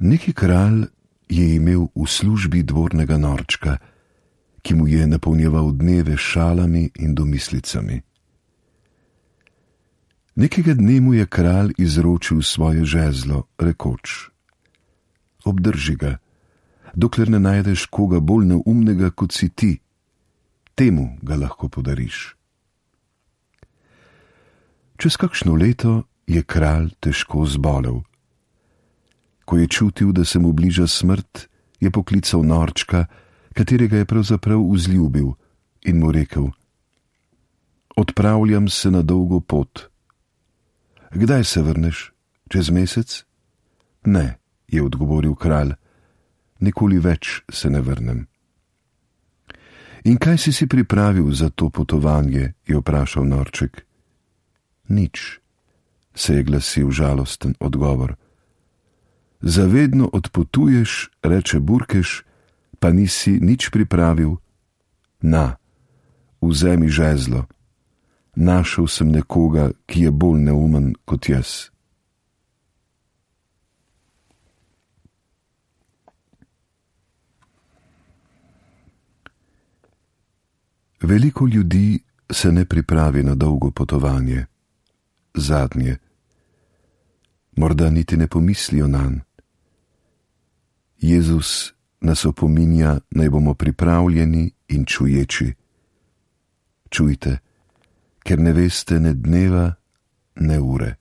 Neki kralj je imel v službi dvornega norčka, ki mu je napolnjeval dneve s šalami in domislicami. Nekega dne mu je kralj izročil svoje žezlo, rekoč: obdrži ga, dokler ne najdeš koga bolj neumnega kot si ti, temu ga lahko podariš. Čez kakšno leto je kralj težko zbolel. Ko je čutil, da se mu bliža smrt, je poklical norčka, katerega je pravzaprav vzljubil, in mu rekel: odpravljam se na dolgo pot. Kdaj se vrneš? Čez mesec? Ne, je odgovoril kralj, nikoli več se ne vrnem. In kaj si pripravil za to potovanje? Je vprašal norček. Nič, se je glasil žalosten odgovor. Zavedno odpotuješ, reče Burkeš, pa nisi nič pripravil. Na, vzemi žezlo. Našel sem nekoga, ki je bolj neumen kot jaz. Veliko ljudi se ne pripravi na dolgo potovanje, zadnje. Morda niti ne pomislijo nanj. Jezus nas opominja, naj bomo pripravljeni in čuječi. Čujte, ker ne veste ne dneva, ne ure.